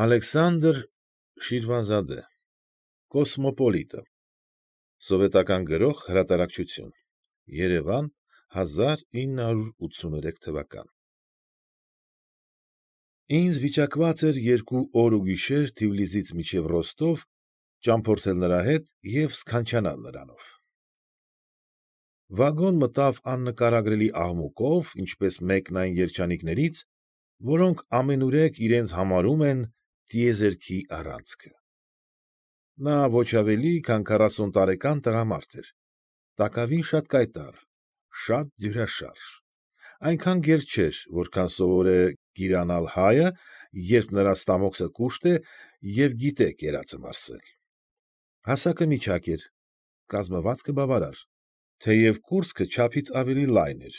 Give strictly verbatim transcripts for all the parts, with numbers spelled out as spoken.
Ալեքսանդր Շիրվանզադե, Կոսմոպոլիտը, Սովետական Գրող Հրատարակչություն, Երևան, հազար ինը հարյուր ութսուներեք թվական։ Ինձ վիճակված էր երկու օր ու գիշեր Թիֆլիսից մինչև Ռոստով ճամփորդել նրա հետ և սքանչանալ նրանով։ Վագոն մտավ աննկարագրելի աղմուկով, ինչպես մեկն այն երջանիկներից, որոնք ամենուրեք իրենց համարում են տիեզերքի առանցքը։ Նա ոչ ավելի, քան քառասուն տարեկան տղամարդ էր, տակավին շատ կայտառ, շատ դյուրաշարժ, այնքան գեր չէր, որքան սովոր է գիրանալ հայը, երբ նրա ստամոքսը կուշտ է և գիտե կերածը մարսել։ Հասակը միջակ էր, կազմվածքը բավարար, թեև կուրծքը չափից ավելի լայն էր,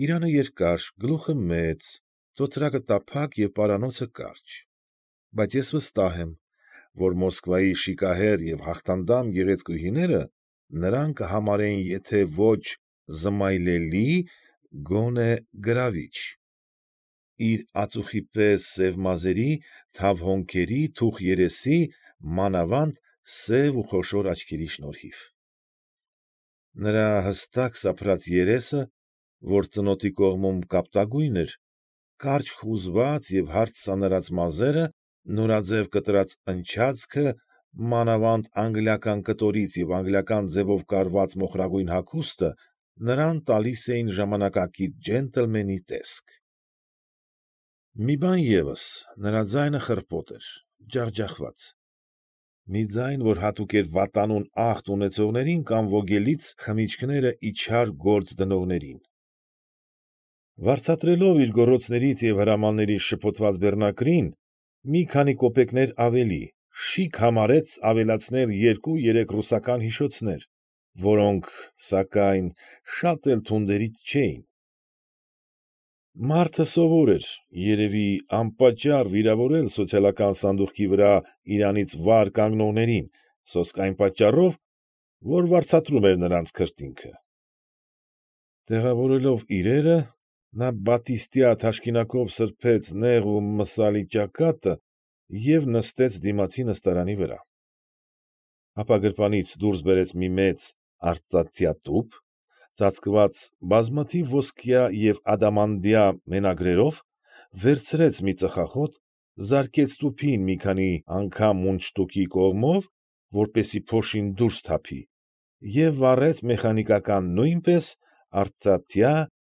իրանը երկար, գլուխը մեծ, ծոծրակը տափակ և պարանոցը կարճ, բայց ես վստահ եմ, որ Մոսկվայի շիկահեր և հաղթանդամ գեղեցկուհիները նրան կհամարեին եթե ոչ զմայլելի, գոնե գրավիչ, իր ածուխի պես սև մազերի, թավ հոնքերի, թուխ երեսի, մանավանդ սև ու խոշոր աչքերի շնորհիվ։ Նրա հստակ սափրած երեսը, որ ծնոտի կողմում կապտագույն էր, կարճ խուզված և հարթ սանրած մազերը, նորաձև կտրած ընչացքը, մանավանդ անգլիական կտորից և անգլիական ձևով կարված մոխրագույն հագուստը նրան տալիս էին ժամանակակից ջենտլմենի տեսք։ Մի բան ևս, նրա ձայնը խռպոտ էր, ջախջախված, մի ձայն, որ հատուկ էր վատանուն ախտ ունեցողներին կամ ոգելից խմիչքները իջար գործ դնողներին։ Վարձատրելով իր գոռոցներից և հրամաններից շփոթված բեռնակրին, մի քանի կոպեկներ ավելի, շիկ համարեց ավելացնել երկու֊երեք ռուսական հիշոցներ, որոնք, սակայն, շատ էլ թունդերից չէին։ Մարդը սովոր էր, երևի, անպատճառ վիրավորել սոցիալական սանդուղքի վրա իրանից վար կանգնողներին, սոսկ այն պատճառով, որ վարձատրում էր նրանց քրտինքը։ Տեղավորելով իրերը, նա բատիստյա թաշկինակով սրբեց նեղ ու մսալի ճակատը և նստեց դիմացի նստարանի վրա։ Ապա գրպանից դուրս բերեց մի մեծ արծաթյա տուփ, ծածկված բազմաթիվ ոսկյա և ադամանդյա մենագրերով, վերցրեց մի ծխախոտ, զարկեց տուփին մի քանի անգամ մունդշտուկի կողմով, որպեսզի փոշին դուրս թափի, և վառեց մեխանիկական նույնպես արծաթյա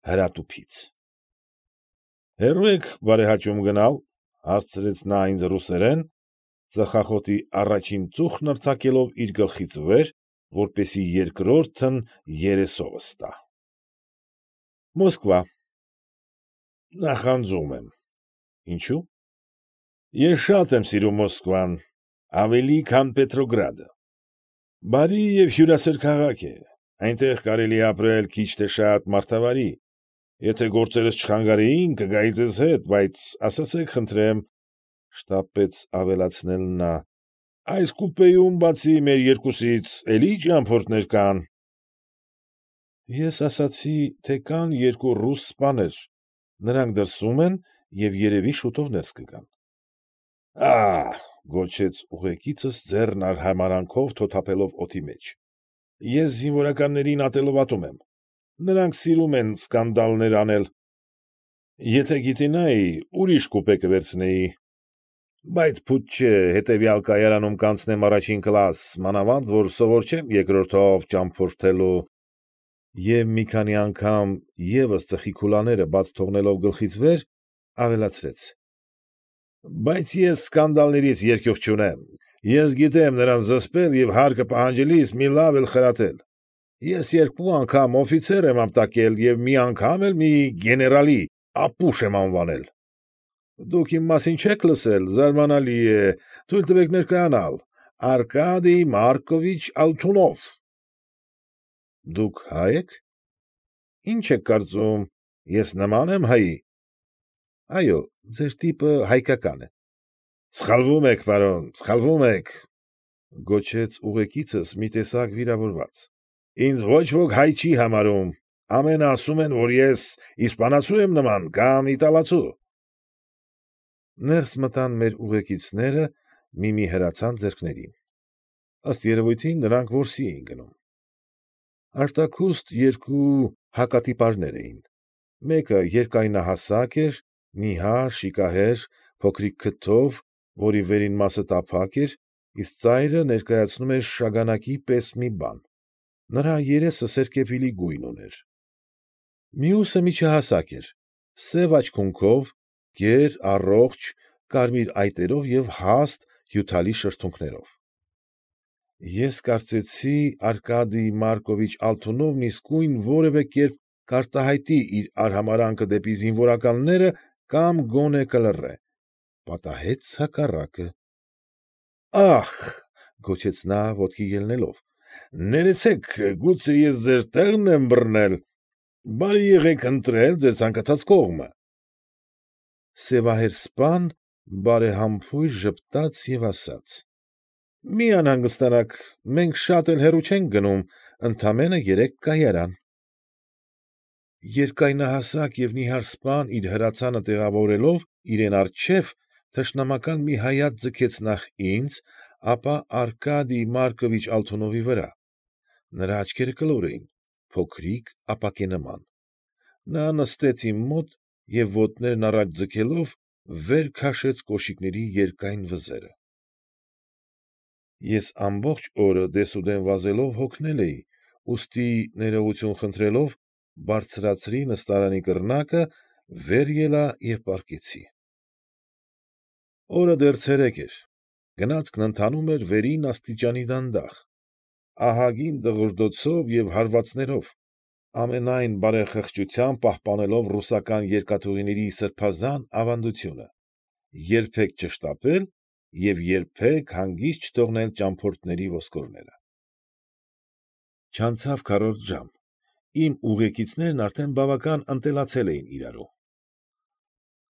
հրատուփից։ ֊ Հեռո՞ւ եք բարեհաճում գնալ,֊ հարցրեց նա ինձ ռուսերեն, ծխախոտի առաջին ծուխն արձակելով իր գլխից վեր, որպեսզի երկրորդն երեսովս տա։ ֊ Մոսկվա։ ֊ Նախանձում եմ։ ֊ Ինչո՞ւ։ ֊ Ես շատ եմ սիրում Մոսկվան, ավելի, քան Պետրոգրադը։ Բարի և հյուրասեր քաղաք է, այնտեղ կարելի է ապրել քիչ թե շատ մարդավարի, եթե գործերս չխանգարեին, կգայի ձեզ հետ, բայց ասացեք խնդրեմ, ֊ շտապեց ավելացնել նա, ֊ այս կուպեում, բացի մեր երկուսից, էլի ճամփորդներ կա՞ն։ Ես ասացի, թե կան երկու ռուս սպաներ, նրանք դրսում են և երևի շուտով ներս կգան։ ֊ Ա՛հ,֊ գոչեց ուղեկիցս ձեռն արհամարհանքով թոթափելով օդի մեջ,֊ ես զինվորականներին ատելով ատում եմ, նրանք սիրում են սկանդալներ անել։ Եթե գիտենայի, ուրիշ կուպե կվերցնեի, բայց փույթ չէ, հետևյալ կայարանում կանցնեմ առաջին կլաս, մանավանդ որ սովոր չեմ երկրորդով ճամփորդելու։ Եվ մի քանի անգամ ևս ծխի քուլաները բաց թողնելով գլխից վեր, ավելացրեց. Բայց ես սկանդալներից երկյուղ չունեմ, ես գիտեմ նրանց զսպել և հարկը պահանջելիս մի լավ էլ խրատել։ Ես երկու անգամ օֆիցեր եմ ապտակել և մի անգամ էլ մի գեներալի ապուշ եմ անվանել։ Դուք իմ մասին չե՞ք լսել, զարմանալի է, թույլ տվեք ներկայանալ, Արկադիյ Մարկովիչ Ալթունով։ ֊ Դուք հա՞յ եք։ ֊ Ի՞նչ եք կարծում, ես նման եմ հայի։ ֊ Այո, ձեր տիպը հայկական է։ ֊ Սխալվում եք, պարոն, սխալվում եք,֊ գոչեց ուղեկիցս մի տեսակ վիրավորված,֊ ինձ ոչ ոք հայ չի համարում, ամենը ասում են, որ ես իսպանացու եմ նման կամ իտալացու։ Ներս մտան մեր ուղեկիցները մի֊մի հրացան ձեռքներին, ըստ երևույթին նրանք որսի էին գնում. Արտաքուստ երկու հակատիպարներ էին, մեկը երկայնահասակ էր, նիհար, շիկահեր, փոքրիկ քթով, որի վերին մասը տափակ էր, իսկ ծայրը ներկայացնում էր շագանակի պես մի բան, նրա երեսը սերկևիլի գույն ուներ. մյուսը միջահասակ էր, սև աչքերով, գեր, առողջ, կարմիր այտերով և հաստ, հյութալի շրթունքներով։ Ես կարծեցի Արկադիյ Մարկովիչ Ալթունովն իսկույն որևէ կերպ կարտահայտի իր արհամարհանքը դեպի զինվորականները կամ գոնե կլռե, պատահեց հակառակը։ ֊ Ա՜խ,֊ գոչեց նա, ոտքի ելնելով,֊ ներեցեք, գուցե ես ձեր տեղն եմ բռնել, բարի եղեք ընտրել ձեր ցանկացած կողմը։ Սևահեր սպան բարեհամբույր ժպտաց և ասաց. ֊ Մի անհանգստացաք, մենք շատ էլ հեռու չենք գնում, ընդամենը երեք կայարան։ Երկայնահասակ և նիհար սպան իր հրացանը տեղավորելով իրեն առջև, թշնամական մի հայացք ձգեց նախ ինձ, ապա Արկադիյ Մարկովիչ Ալթունովի վրա. նրա աչքերը կլոր էին, փոքրիկ, ապակենման, նա նստեց իմ մոտ և ոտներն առաջ ձգելով վեր քաշեց կոշիկների երկայն վզերը։ Ես ամբողջ օրը դեսուդեն վազելով հոգնել էի, ուստի, ներողություն խնդրելով, բարձրացրի նստարանի կռնակը, վեր ելա և պառկեցի։ Օրը դեռ ցերեկ էր, գնացքն ընթանում էր վերին աստիճանի դանդաղ, ահագին դղրդոցով և հարվածներով, ամենայն բարեխղճությամբ պահպանելով ռուսական երկաթուղիների սրբազան ավանդությունը՝ երբեք չշտապել և երբեք հանգիստ չթողնել ճամփորդների ոսկորները։ Չանցավ քառորդ ժամ, իմ ուղեկիցներն արդեն բավական ընտելացել էին իրարու։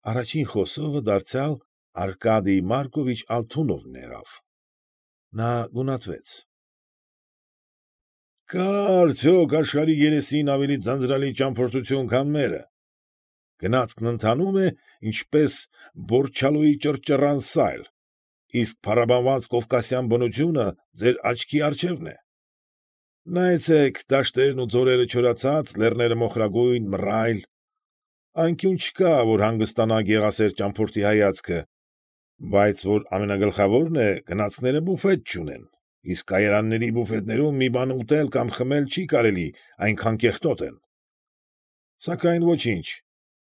Առաջին խոսողը դարձյալ Արկադիյ Մարկովիչ Ալթունովն եղավ։ Նա գունատվեց. ֊ Կա՞ արդյոք աշխարհի երեսին ավելի ձանձրալի ճամփորդություն, քան մերը. գնացքն ընթանում է, ինչպես Բորչալուի ճռճռան սայլ, իսկ փառաբանված կովկասյան բնությունը ձեր աչքի առջևն է. նայեցեք, դաշտերն ու ձորերը չորացած, լեռները մոխրագույն, մռայլ, անկյուն չկա, որ հանգստանա գեղասեր ճամփորդի հայացքը, բայց որ ամենագլխավորն է, գնացքները բուֆետ չունեն, իսկ կայարանների բուֆետներում մի բան ուտել կամ խմել չի կարելի, այնքան կեղտոտ են։ Սակայն ոչինչ,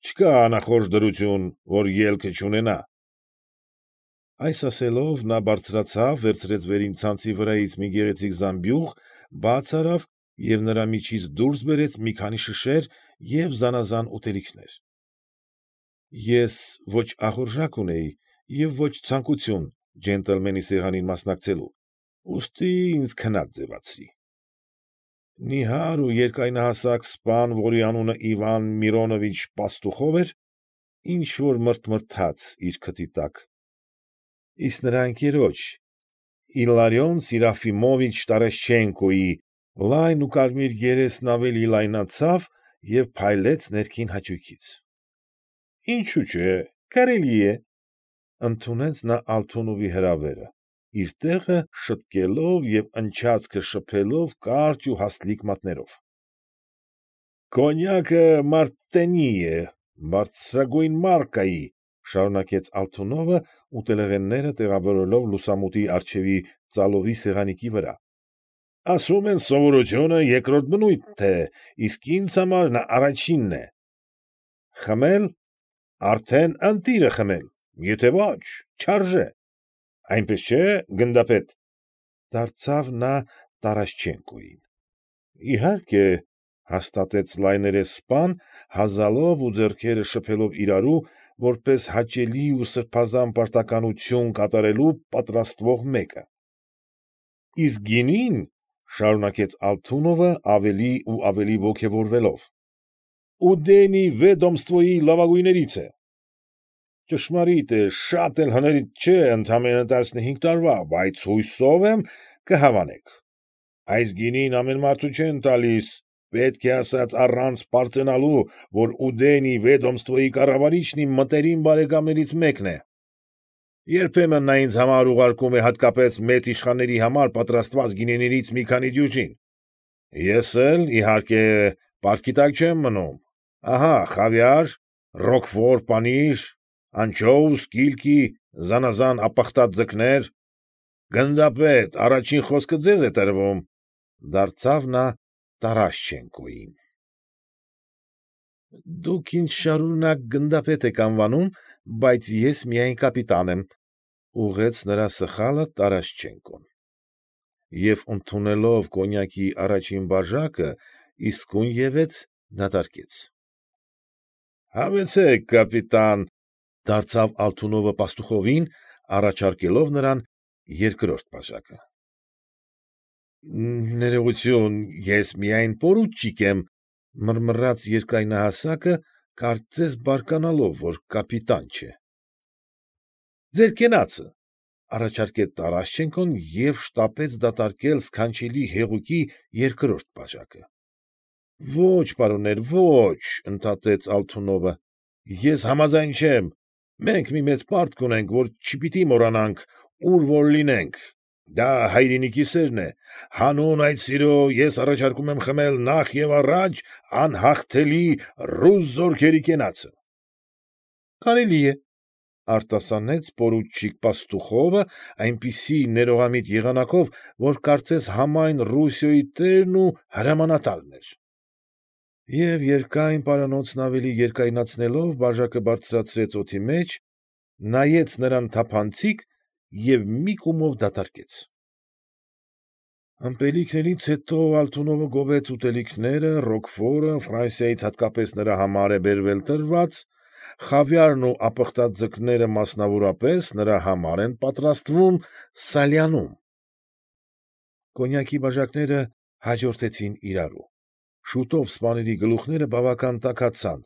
չկա անախորժ դրություն, որ ելքը չունենա։ Այս ասելով, նա բարձրացավ, վերցրեց վերին ցանցի վրայից մի գեղեցիկ զամբյուղ, բաց արավ և նրա միջից դուրս բերեց մի քանի շշեր և զանաղան ուտելիքներ։ Ես ոչ ախորժակ ունեի և ոչ ցանկություն ջենտլմենի սեղանին մասնակցելու, ուստի ինձ քնած ձևացրի։ Նիհար ու երկայնահասակ սպան, որի անունը Իվան Միրոնովիչ Պաստուխով էր, ինչ֊որ մրթմրթաց իր քթի տակ, իսկ նրա ընկերոջ՝ Իլարյոն Սիրոֆիմովիչ Տարաշչենկոյի լայն ու կարմիր երեսն ավելի լայնացավ և փայլեց ներքին հաճույքից։ ֊ Ինչո՞ւ չէ, կարելի է,֊ ընդունեց նա Ալթունովի հրավերը, իր տեղը շտկելով և ընչացքը շփելով կարճ ու հաստլիկ մատներով։ ֊ Կոնյակը Մարտենի է, բարձրագույն մարկայի,֊ շարունակեց Ալթունովը, ուտելեղենները տեղավորելով լուսամուտի առջևի ծալովի սեղանիկի վրա,֊ ասում են սովորությունը երկրորդ բնույթ է, իսկ ինձ համար նա առաջինն է։ Խմել, արդեն ընտիրը խմել, եթե ոչ, չարժե, այնպես չէ՞, գնդապետ,֊ դարձավ նա Տարաշչենկոյին։ ֊ Իհարկե,֊ հաստատեց լայներես սպան, հազալով ու ձեռքերը շփելով իրարու, որպես հաճելի ու սրբազան պարտականություն կատարելու պատրաստվող մեկը։ ֊ Իսկ գինին,֊ շարունակեց Ալթունովը ավելի ու ավելի ոգևորվելով,֊ Ուդելնիյ Վեդոմստվոյի լավագույններից է։ Ճշմարիտ է, շատ էլ հներից չէ, ընդամենը տասնհինգ տարվա, բայց հույսով եմ կհավանեք։ Այս գինին ամեն մարդու չեն տալիս, պետք է ասած առանց պարծենալու, որ Ուդելնիյ Վեդոմստվոյի կառավարիչն իմ մտերիմ բարեկամներից մեկն է։ Երբեմն նա ինձ համար ուղարկում է հատկապես մեծ իշխանների համար պատրաստված գինիներից մի քանի դյուժին։ Ես էլ, իհարկե, պարտքի տակ չեմ մնում. ահա խավիար, ռոկֆոր պանիր, անչոուս, կիլկի, զանազան ապխտած ձկներ։ Գնդապետ, առաջին խոսքը ձեզ է տրվում,֊ դարձավ նա Տարաշչենկոյին։ Դուք ինձ շարունակ գնդապետ եք անվանում, բայց ես միայն կապիտան եմ,֊ ուղղեց նրա սխալը Տարաշչենկոն։ Եվ ընդունելով կոնյակի առաջին բաժակը իսկույնևեթ դատարկեց։ ֊ Համեցեք, կապիտան,֊ դարձավ Ալթունովը Պաստուխովին, առաջարկելով նրան երկրորդ բաժակը։ ֊ Ներողություն, ես միայն պորուչիկ եմ,֊ մռմռաց երկայնահասակը, կարծես բարկանալով, որ կապիտան չէ։ ֊ Ձեր կենացը,֊ առաջարկեց Տարաշչենկոն և շտապեց դատարկել սքանչելի հեղուկի երկրորդ բաժակը։ ֊ Ո՛չ, պարոններ, ո՛չ,֊ ընդհատեց Ալթունովը,֊ ես համաձայն չեմ, մենք մի մեծ պարտք ունենք, որ չպիտի մոռանանք, ուր որ լինենք, դա հայրենիքի սերն է, հանուն այդ սիրո ես առաջարկում եմ խմել նախ և առաջ անհաղթելի ռուս զորքերի կենացը։ ֊ Կարելի է,֊ արտասանեց պորուչիկ Պաստուխովը այնպիսի ներողամիտ եղանակով, որ կարծես համայն Ռուսիայի տերն ու հրամանատարն էր։ Եվ երկայն պարանոցն ավելի երկայնացնելով բաժակը բարձրացրեց օդի մեջ, նայեց նրան թափանցիկ և մի կումով դատարկեց։ Ըմպելիքներից հետո Ալթունովը գովեց ուտելիքները, ռոկֆորը, Ֆրանսիայից հատկապես նրա համար է բերվել տված, խավիարն ու ապխտած ձկները մասնավորապես նրա համար են պատրաստվում Սալյանում։ Կոնյակի բաժակները հաջորդեցին իրարու։ Շուտով սպաների գլուխները բավական տաքացան,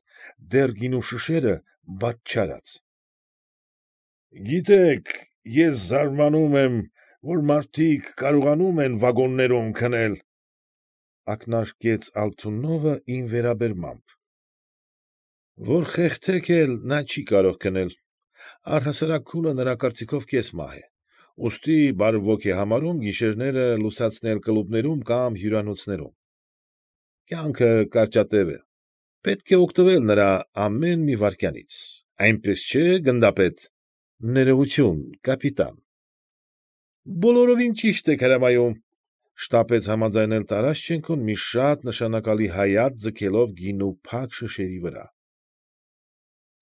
դեռ գինու շշերը բաց չարած։ ֊ Գիտեք, ես զարմանում եմ, որ մարդիկ կարողանում են վագոններում քնել,֊ ակնարկեց Ալթունովը իմ վերաբերմամբ։ ֊ Որ խեղդեք էլ նա չի կարող քնել, առհասարակ քունը նրա կարծիքով կես մահ է, ուստի բարվոք է համարում գիշերները լուսացնել կլուբներում կամ հյուրանոցներում։ Կյանքը կարճատև է, պետք է օգտվել նրա ամեն մի վայրկյանից, այնպես չէ՞, գնդապետ։ ֊ Ներողություն, կապիտան։ ֊ Բոլորովին ճիշտ եք հրամայում,֊ շտապեց համաձայնել Տարաշչենկոն, մի շատ նշանակալի հայացք ձգելով գինու փակ շշերի վրա։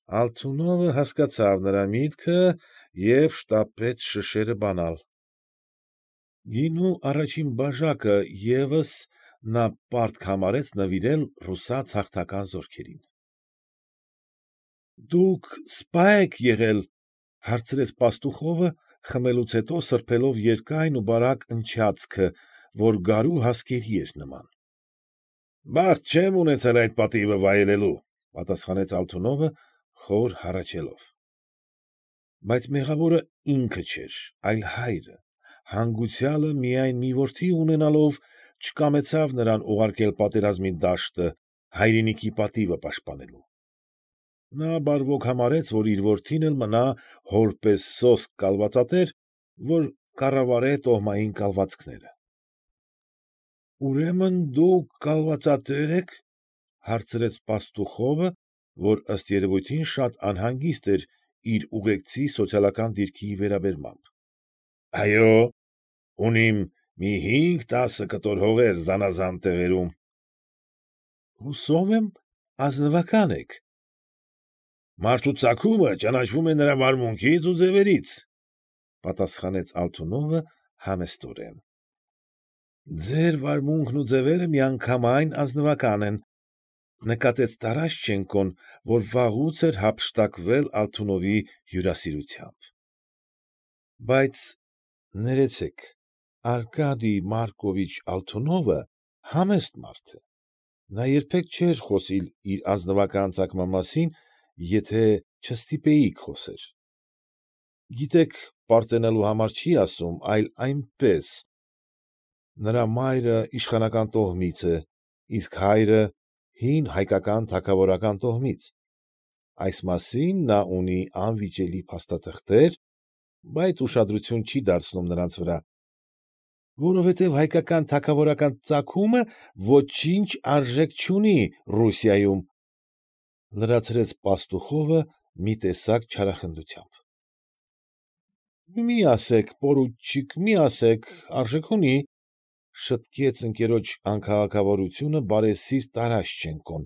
Ալթունովը հասկացավ նրա միտքը և շտապեց շշերը բանալ։ Գինու առաջին բաժակը ևս նա պարտք համարեց նվիրել ռուսաց հաղթական զորքերին։ ֊ Դուք սպա՞ եք եղել,֊ հարցրեց Պաստուխովը, խմելուց հետո սրբելով երկայն ու բարակ ընչացքը, որ գարու հասկերի էր նման։ ֊ Բախտ չեմ ունեցել այդ պատիվը վայելելու,֊ պատասխանեց Ալթունովը, խոր հառաչելով։ Բայց մեղավորը ինքը չէր, այլ հայրը, հանգուցյալը միայն մի որդի ունենալով, չկամեցավ նրան ուղարկել պատերազմի դաշտը, հայրենիքի պատիվը պաշտպանելու։ Նա բարվոք համարեց, որ իր որդին էլ մնա հոր պես սոսկ կալվածատեր, որ կառավարե տոհմային կալվածքները։ ֊ Ուրեմն դուք կալվածատե՞ր եք,֊ հարցրեց Պաստուխովը, որ ըստ երևույթին շատ անհանգիստ էր իր ուղեկցի սոցիալական դիրքի վերաբերմամբ։ ֊ Այո, ունիմ մի հինգ֊տասը կտոր հողեր զանազան տեղերում։ ֊ Հուսով եմ ազնվակա՞ն եք։ ֊ Մարդու ծագումը ճանաչվում է նրա վարմունքից ու ձևերից,֊ պատասխանեց Ալթունովը համեստորեն։ ֊ Ձեր վարմունքն ու ձևերը միանգամայն ազնվական են,֊ նկատեց Տարաշչենկոն, որ վաղուց էր հափշտակվել Ալթունովի հյուրասիրությամբ։ ֊ Բայց, ներեցեք, Արկադիյ Մարկովիչ Ալթունովը համեստ մարդ է, նա երբեք չէր խոսիլ իր ազնվական ծագման մասին, եթե չստիպեիք խոսել։ Գիտեք, պարծենալու համար չի ասում, այլ այնպես. նրա մայրը իշխանական տոհմից է, իսկ հայրը հին հայկական թագավորական տոհմից, այս մասին նա ունի անվիճելի փաստաթղթեր, բայց ուշադրություն չի դարձնում նրանց վրա, որովհետև հայկական թագավորական ծագումը ոչինչ արժեք չունի Ռուսիայում,֊ լրացրեց Պաստուխովը մի տեսակ չարախնդությամբ։ ֊ Մի ասեք, պորուչիկ, մի ասեք, արժեք ունի,֊ շտկեց ընկերոջ անքաղաքավարությունը բարեսիրտ Տարաշչենկոն,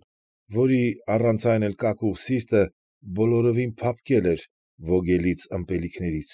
որի առանց այն էլ կակուղ սիրտը բոլորովին փափկել էր ոգելից ըմպելիքներից։